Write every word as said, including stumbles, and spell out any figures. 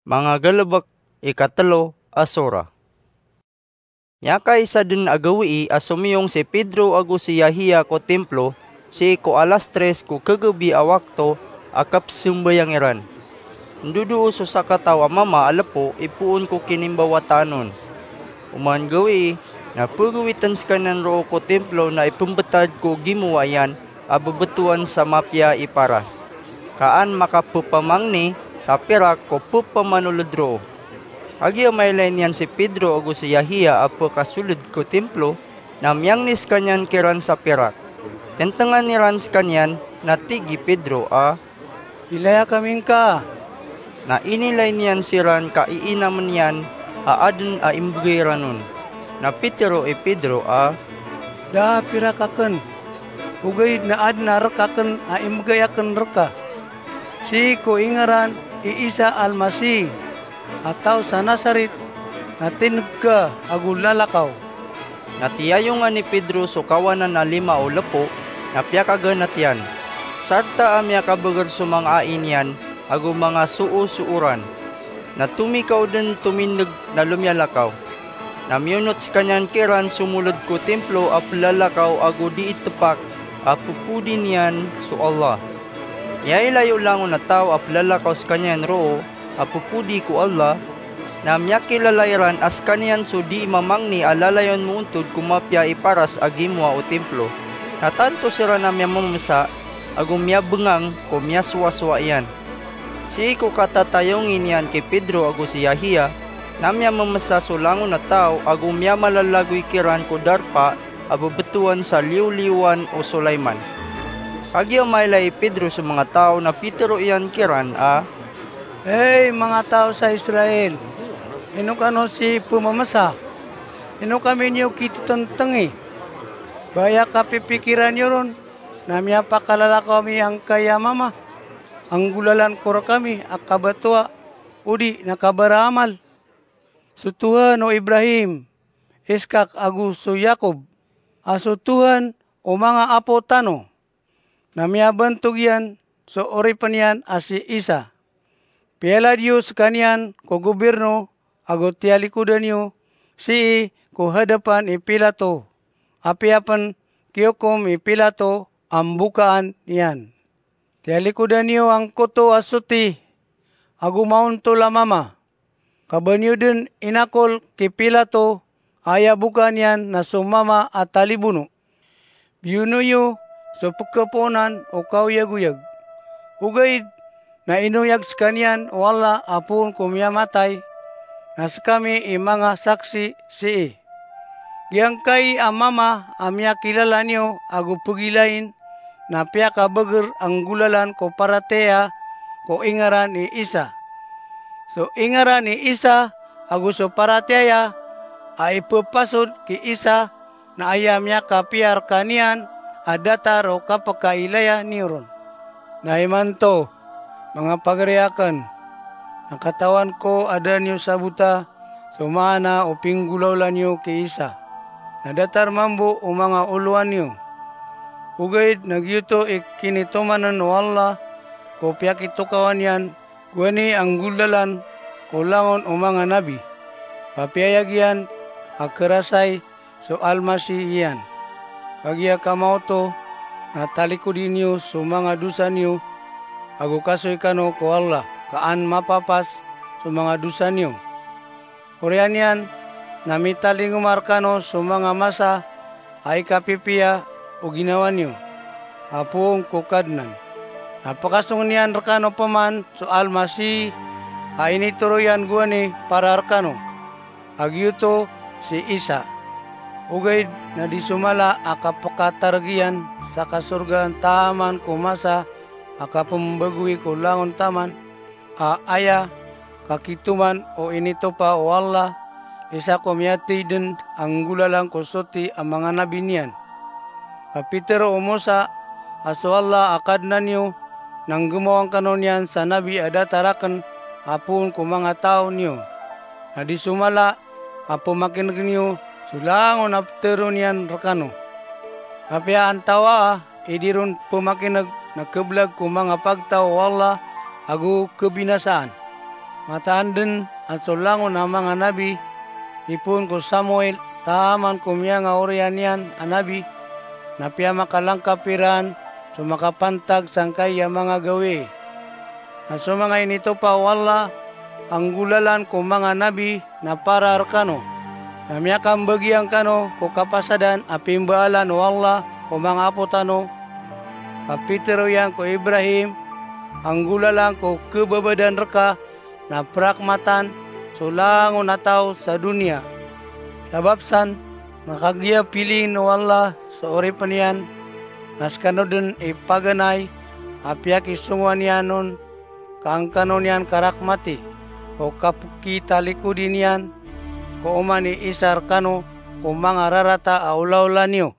Mangagalebek, ikatelo a sora. Miyakaisa den a gawii a somiyong si Pedro ago si Yahia ko Templo, sii ko alas tres ko kagabi a wakto a kapsembayang iran. Ndodoo so sakataw a mama a lepo ipoon ko kinimbawataan on. Oman gawii, na pegawiten sekaniyan roo ko Templo na ipembetad ko gimowa iyan a bebetowan sa mapiya i paras, ka an makapepamangni sa pirak ko pepamanolod roo. Kagiya mailay niyan si Pedro ago si Yahia a pekasoled ko Templo, na miyangni sekaniyan kiran sa pirak. Tentengan iran sekaniyan, na tig i Pedro a, "Ilaya kami ngka." Na inilay niyan siran ka iinamen iyan a aden a imbegay iran on. Na pitero i Pedro a, "Da a pirak aken, ogaid na aden a rek aken a imbegay aken reka. Sii ko ingaran i Isa Almasi, a taw sa Nazaret, na tineg ka ago lalakaw." Na tiyayongan i Pedro so kawanan a lima o lepo, na piyakaganat iyan. Sarta a miyakabeger so manga ai niyan ago manga soosooran. Na tomikaw den tomineg na lomiyalakaw. Na miyonot sekaniyan kiran somoled ko Templo a pelalakaw ago dii tepak a pepodi niyan so Allah. Miyailay o langon a taw a pelalakaw sekaniyan roo a pepodi ko Allah, na miyakilala iran a sekaniyan so dii mamangni a lalayon moontod ko mapiya i paras a gimowa o Templo. Na tanto siran a miyamemesa ago miyabengang ko miyasowasowa iyan. Sii ko katatayongi niyan ki Pedro ago si Yahia, na miyamemesa so langon a taw ago miyamalalagoy kiran ko darpa a bebetowan sa liyoliyowan o Solayman. Kagiya mailay i Pedro so manga taw na pitero iyan kiran a, "Hay manga taw sa Israel, ino kano sii pememesa? Ino kami niyo kitetentengi? Ba aya kapipikiran iyo ron na miyapakalalakaw ami angkai a mama a nggolalan ko rekami a kabatowa odi na kabaraamal? So Tuhan o Ibrahim, Iskak ago so Yakob, a so Tuhan o manga apo tano, na miyabantog iyan so oripen iyan a si Isa. Piyalad iyo sekaniyan ko gobirno ago tiyalikodan iyo sii ko hadapan i Pilato, apiya pen kiyokom i Pilato a mbokaan iyan. Tiyalikodan iyo angkoto a soti ago maontol a mama. Kaba niyo den inakol ki Pilato a aya bokaan iyan na so mama a talibono. Biyono iyo so pekepoonan o kaoyagoyag. Ogaid na inoyag sekaniyan o Allah a poon ko miyamatay, na sekami i manga saksi sii. Giyangkai a mama a miyakilala niyo ago pegilain na piyakabeger a nggolalan ko paratiyaya ko ingaran i Isa. So ingaran i Isa ago so paratiyaya a ipepasod ki Isa na aya miyakapiya rekaniyan a datar o kapekailaya niyo ron. Na imanto, manga pagari aken, na katawan ko a da niyo sabota so maana o pinggolawla niyo ki Isa, na datar mambo o manga olowan iyo. Ogaid na giyoto i kinitomanen o Allah ko piyakitokawan iyan gowani a nggolalan ko langon o manga nabi. Papiya giyan a kerasay so Almasi iyan. Kagiya kamaoto na talikodi niyo so manga dosa niyo, ago kasoy kano ko Allah ka an mapapas so manga dosa niyo. Oriyan iyan na mitalingoma rekano so manga masa a ikapipiya o ginawa niyo a poon ko Kadnan. Na pakasong iyan rekano peman so Almasi a initoro iyan gowani para rekano, a giyoto si Isa. Ogaid na di so mala a kapekatareg iyan sa kasorgaan taman ko masa a kapembagoi ko langon taman, a aya kakitoman o initopa o Allah, isa ko miyatey den a nggolalan ko soti a manga nabi niyan. Kapitero o Mosa a so Allah a Kadnan iyo na nggemawan kano niyan sa nabi a datar aken a poon ko manga taw niyo. Na di so mala a pemakineg niyo so langon a petero niyan rekano. Apiya antawaa i di ron pemakineg na keblag ko manga pagtaw o Allah ago kebinasaan. Mataan den a so langon a manga nabi, ipoon ko Samuel, taman ko miyangaoriyan iyan a nabi, na piyamakalangkap iran so makapantag sangkai a manga gawii. Na so manga initopa o Allah a nggolalan ko manga nabi na para rekano, na miyakambagiyang kano ko kapasadan a pimbaalan o Allah ko manga apo tano, ka pitharo iyan ko Ibrahim a nggolalan ko kebabadan reka na perakmatan so langon a taw sa doniya. Sabap san, na kagiya piliin o Allah so oripen iyan, na sekano den i paganay a piyakisongowan iyan on, ka an kano niyan karakmati o kapekitalikodi niyan ko oman i isa rekano ko manga rarata a olaola niyo.